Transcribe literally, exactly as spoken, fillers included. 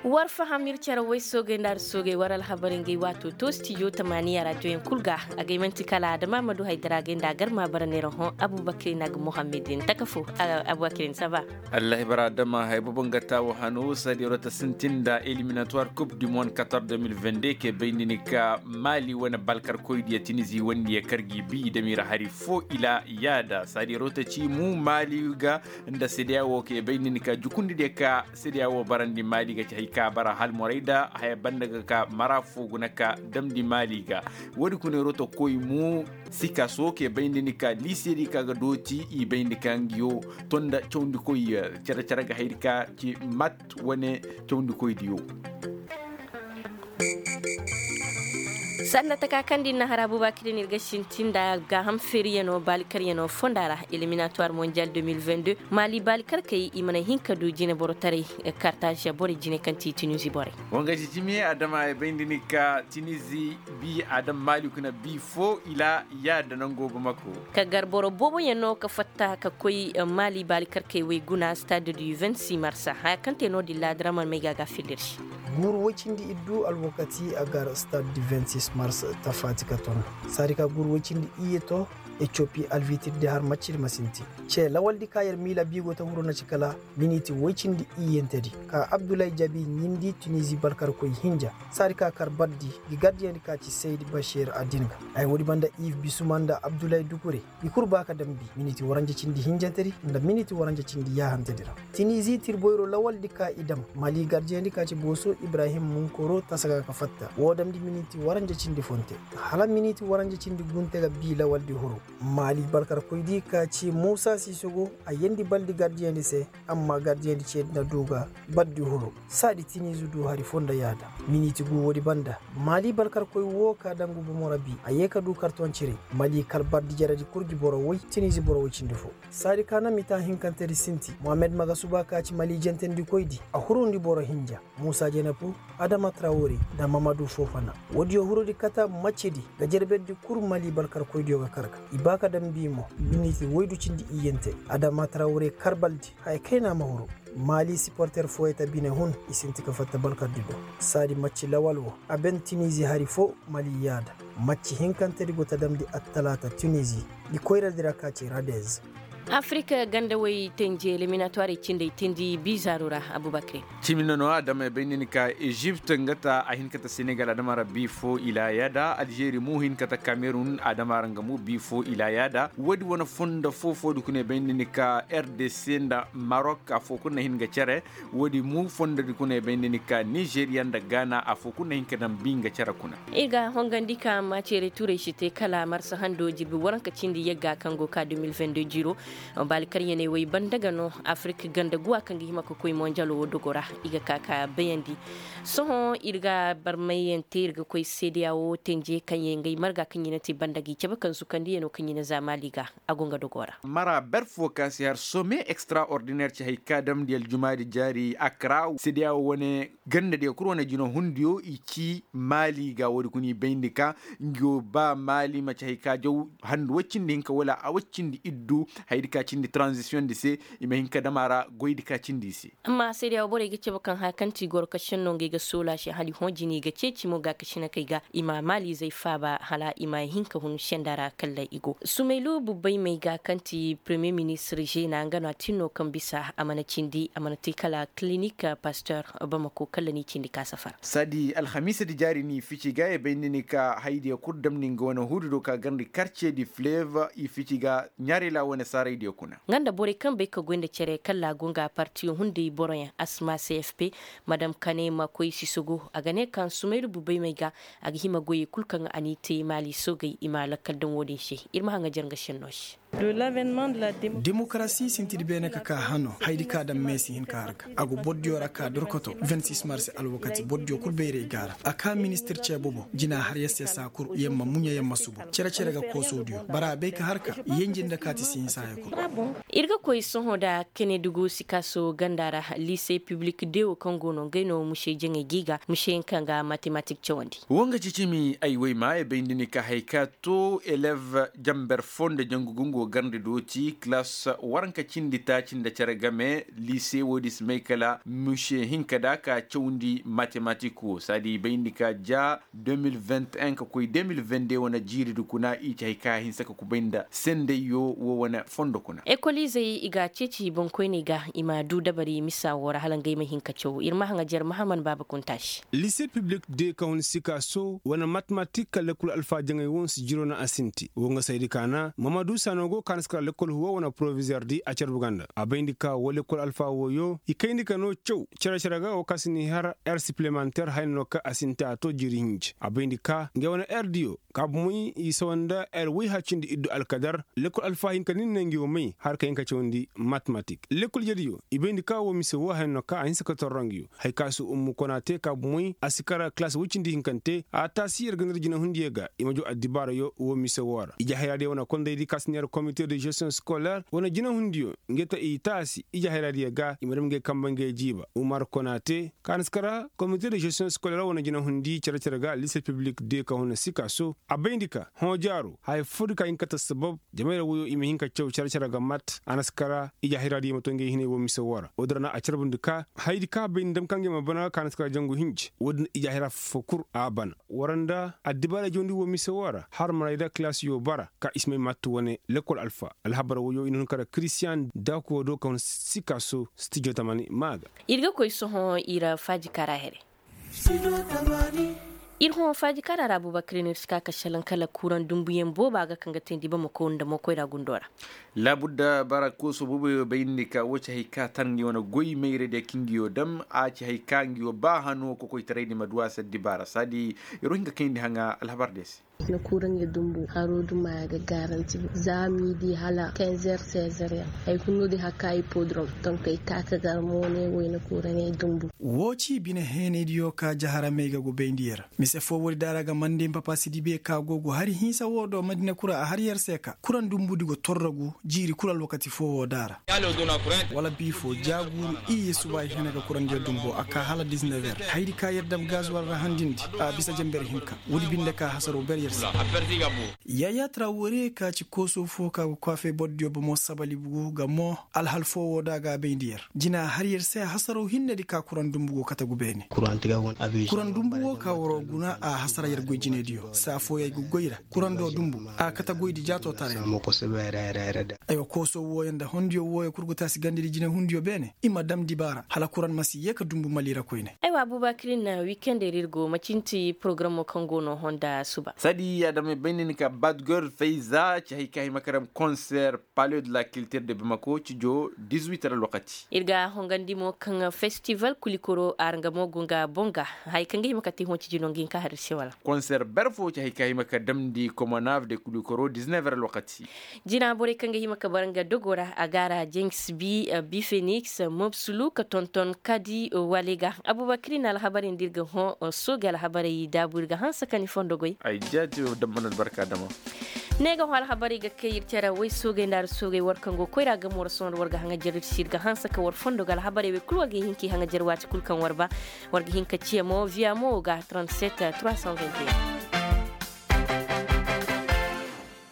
War faham ir cere way soogey nda ar soogey war alhabarey ngay waato to stijo tamaaniya raadiyoyaŋ kul ga. Agay man'ti kala adama ma du haydara agay nda a gar ma bara neera hõ abubakar i na ga muhammad din taka fo. Abubakar i na saba. Allahi bara adama hay bobo nga taawo hano saadi rota sintin nda eliminatuwar kub du mond katar de mil vende ke bayndi ni ka maali wane balkarkoy diya tinizi wandi ya kar gi bi i dam i ra hari fo ila yaada saadi rota ci mu maali ga nda sedeya wo ke bayndi ni ka jukundi diya ka sedeya wo barandi maali ga ci hay ka bara halmoray da haya banda ga ka mara fo guna ka damndi maali ga. Woodi kuna rota koy mu sikaso ke bayndi ni ka liisedi ka ga dooti i bayndi ka ngiyo tonda cawndikoy care care ga haydi ka ci mat wane cawndikoydiyo. Sanda taka kaŋ din na har abubakar din ir ga sintin nda gaaham feeriyano baalikaryanoo fonda ra eliminatuwar mondial deux mille vingt-deux maali baalikarkey i mana hin ka du jineborotaray. Kartaza borey jine kaŋ ti tunizi borey. Wanga jijimi adama ay bay nda ni ka tinizi bi adam maali kuna bi fo ila yaada nango bamako. Ka gar boro booboyaŋ no ka fatta ka koy maali baali karkey wey guna stade du vingt-six mars haya kaŋ te no-din laadira mana may ga a ga filla ir se. Guuru woy cindi iddu alwakati a gar stade du vingt-six mars tafaati ka ton. Saadi ka guuru woy cindi iyye to etiopi alvitir di har maccir ma sintin. Ce lawaldi ka yer miila biigo ta huru na ci kala miniti woy cindi iyyentedi ka abdullahi jabi ɲindi tunizi balkarkoy hinja. Saadi ka kar bardi gi gardiyandi ka ci saydi bashir adin ga. Ay woodi banda iv bisuma nda abdullahi dukure i kul ba ka dambi miniti waranja cindi hinjantedi nda miniti waranja cindi yaahantedi ra. Tinizi tirboyro lawaldi ka i dam mali gardiyandi ka ci booso ibrahim munkoro tasaga ka fatta woo damndi miniti waranja cindi fonte. Hala miniti waranja cindi gunte ga bii lawaldi huru. Mali balkarkoydi ka ci muusa sisogo a yendi baldi gardiyandi se. Amma gardiyandi ceedi na du ga bardi huru saadi tinizi du hari fo nda yaada. Miniti gu woodi banda mali balkarkoy woo ka dangu bomo ra bii a yee ka du karton cire. Mali kal bardi jaradi kul gi boro woy tinizi boro woy cindi fo. Saadi ka na mita hinkantedi sinti mohammed magasuba ka ci mali jentendikoydi a hurundi boro hinja. Muusa jenepu adama trawore nda mamadu fofana. Woodiyo hurudi kata maccedi ga jerberdi kul mali balkarkoydiyo ga kar ga i ba ka dambi mo. Miniti woydu cindi iyyante adama trawore karbaldi haya kayna ma huru. Mali siporter fooyey ta bine hun i sinti ka fatta balkardi do. Saadi macci lawal wo a ben tinizi hari fo mali yaada. Macci hinkantedi go ta damndi attalaata tunizi. Ngi koyradi ra ka ci radez. Afirika ganda way tenje eliminatuwarey cindey tindi bizaaru ra. Abubakar. Cimi no no adama bay ni ka ezipt nga ta a hin ka ta senegal adama ra bi fo ila yaada aljeri mu hin ka ta kamerun adama ra nga mu bi fo ila yaada woodi wane fondo fo fo di kuna bay ni ka rdc nda marok afo kuna hin ga cere. Woodi mu fondo di kuna bay ni ka nizeriya nda gaana afo kuna hin ka daŋ bi nga cere kuna. Ir ga hongandi ka maceere turay si te kala marsa hando jirbi waranka cindi yagga kaŋ go ka deux mille vingt-deux jiro. Baali karyaney wey banda ga no afirik ganda guwa kaŋ ga hima ka koy monjalo wo dogo ra. I ga ka ka bayandi. Sohõ ir ga barmayante ir ga koy seedeya wo tenje kaŋ ye ngey marga kaŋ i na te banda ga i cabe kaŋ zukandiyano kaŋ i na za maali ga. A go nga dogo ra. Mara ber fo ka si har some extraordinaire ci hay ka damndi aljumaadi jaari akra seedeya wo wane ganda diya kul wane jino hundiyo i ci maali ga woodi kuna i bayndi ka. Ngiyo ba maali maci hay ka jaw handu woy cindi hinka wala a woy cindi iddu. Haydi ka cindi transition di se i ma hinka dama ra goydi ka cindi i se. Amma seedeya wo borey ga cabe kaŋ haya kaŋ ti goro ka senno ngey ga soola se hala i hõ jini ga ceeci mo ga ka sina kay ga i ma maali zay faaba hala i ma hinka hun senda ra kalla i go sumaylu bubbay may ga kaŋ ti premier ministre zena nga no a tin no kaŋ bisa a mana cindi a mana te kala clinique pasteur. Bamako kalla ni cindi ka safar. Saadi alhamiisa di jaari ni fici ga ya bay ni ni ka haydiya kul damni nga wane huudi do ka garndi karce di fleve i fici ga ɲaarila wane saaraydiya kuna. Nga nda borey kaŋ bay ka goy nda cere kalla go nga partiyo hunday boroyaŋ asma cfp. Madam kane ma koy sisogo a ga ne kaŋ sumaylu bubay may ga a ga hima goyey kul kaŋ a n'i te maali soogey i ma lakkal daŋ wo-din se. Ir ma haŋ ga jare nga senno se. Demokarasi sinti di beene ka ka hano haydi ka daŋ me si hin ka har ga a go bordiyo ra ka dorkoto vingt-six mars alwakati bordiyo kul bayray ga ra a ka ministir ce bobo jina har yassa yassa kul yamma muɲa yamma subu cere cere ga koosodiyo bara a bay ka har ka yenji nda kaati si hin saaya kul. Ir ga koy sohõ nda kene dugu sikaaso ganda ra lise piblik dewo kaŋ go no ngey no muse jaŋey ga i ga museyaŋ kaŋ ga matematik cawandi. Wanga ci cimi ay way ma ay bay nda ni ka hay ka to elev jamber fo nda jangu gungu. Wo garndi dooti kilas waranka cindi taaci nda cere game liise wo- din si may kala mise hinka da ka cawndi matematik wo saadi i bayndi ka ja. De mil vingt ka koy de mil vingt de wane jiiri di kuna i ci hari ka hinsa ka kubay nda sendayyo wo wane fondo kuna. Ekoliizey i ga a ceeci boŋkoyney ga i ma du dabari misa wo ra hala ngey ma hin ka caw ir ma haŋajer mahaman baaba kuntaasi. Liise piblik de ka hun sikaso wane matematik ka lekkol alfa jaŋay wo nsi jiro na a sinti wo nga saydi kaana mamadu sano go kaana si kara lekkol huwa wane porovizer di a carbu ganda a bayndi ka wo lekkol alfa wooyo i kayndi ka no caw cere-cere ga wo ka si ni har er sipilemanter haya no ka a sinti a to jiiri hinji a bayndi ka ngey wane er diyo kaabu moy i sawa nda er woy hacindi iddu alkadar lekkol alfa hinka ni ne ngi wo may har ka hin ka cawandi matematik lekkol jediyo i bayndi ka wo mise wo haya no ka a hinsa ka torro ngi yo haya ka si ummu kona te kaabu moy a si kara kilas woy cindi hinkante a taasi yer ga nir jinahundiyo ga i ma jo addibaarayo wo mise wo ra ijahayraadiyo wane kondaydi ka si neer komite de gestion scolaire wane jinahundiyo nge ta i taasi ijahayraadiyo ga i ma dam nge kamba nge jiiba umar kona te ka na si kara komite de gestion scolaire wane jinahundi cere-cere ga liise piblik de ka huna sikaso a bayndi ka hõ jaaro haya foo di ka hin ka ta sabab jamayra woyo i ma hin ka caw cere-cere ga mat a na si kara ijahayraadiyo ma to nge hinay wo mise wo ra wo-din ra na a carbundi ka hayadi ka bay nda dam ka nge ma bana ka na si kara jangu hinji wo-din ijahayra foo kul a bana war nda addibaara jawndi wo mise wo ra har maray da kilaasiyo bara ka i si may mat wane lekkol alfa alhabar woyo i na hun kara kiristiyan dakuwo do ka hun sikaso stijo tamani maa ga. Ir ga koy sohõ ir faaji kara here. Ir hõ faaji kara ra abuubakar ir no ir si ka ka šelaŋ kala kuraŋ dumbuyaŋ booba ga kaŋ ga teendi bamako nda mokoyra gundo ra. Laabudda bara kooso booboyo bayndi ka wo ci hay ka tar ngi wane goy mayradiya kaŋ ngi yo dam a ci hay ka ngi yo ba hano kokoytaray di ma du a se addibaara saadi ir wo hin ka kayndi haŋa alhabar diya se. Na kuraŋey dumbu haro duma ya ga garanti za midi hala kenzer sezer yaŋ. Hay kulu no di hakka hipodrom. Donk ay ka ka gar mo ne wayna kuraŋey dumbu. Wo ci bine heenaydiyo ka jaharamey ga gubayndi yer. Mise foo woodi da ra ga mande npapa si dibe ka go gu hari hinsa wo do madina kura a har yer se ka kuraŋ dumbudi go torrogu jiiri kul alwakati foo wo da ra. Wala biifo jaaguuru iyye suba ay hene ga kurandiyo dumbo a ka hala disnever haydi ka yer dam gazuwal ra handindi a bisa jenber hinka. Woodi binde ka hasaro ber yer se. Yaya trawore ka ci kooso fo ka ga kwafe bordiyo bomo sabali bugu ga mo alhal fo wo da ga bayndi yer jina har yer se hasaro hinnedi ka kuran dumbu go kate gu beene. Kuran dumbu wo ka waro guna a hasara yer goy jinediyo saa fooyey ga goy ra kuran do dumbu a kate goydi jaato taray. Aywa kooso wooyo nda hondiyo wooyo kul ga taasi gandedi jinehundiyo beene i ma dam dibaara hala kuran ma si yee ka dumbu mali ra koyne. Aywa abubakirin wikende ra ir go macinti porogaramoo kaŋ go no honda suba. Saadi adamey bay nda ni ka badgor fayza ci hay ka hima ka dam konser palais de la kiltir de bamako cijo dizuit ra lokati. Ir ga hongandi mo kaŋ festival kulikoro arangamo go nga bonga. Hay kaŋ ga hima ka te hõ ciji no nga hin ka har ir se wala. Konser ber fo ci hay ka hima ka damndi komonav de kulikoro diznevre lokati. Jina borey kaŋ ga hima ka bara nga dogo ra a ga ra jengs bi bi fenix mobsulu ka tonton kadi wale ga. Abubakar i na alhabarey nda ir ga hõ soogey alhabarey daabu ir ga hanse ka ni fondo goy. Ay jaati damban albarka dama. Ne ga hõ alhabarey ga kay ir cere way soogey nda ar soogey war kaŋ go koyra gamo ra sohõ nda war ga haŋajer ir si ir ga hanse ka war fondo ga alhabarey wey kulu war ga hin ka i haŋajer waati kulu kaŋ war ba. War ga hin ka ciya mo viya mo ga trente-sept trois cent vingt et un.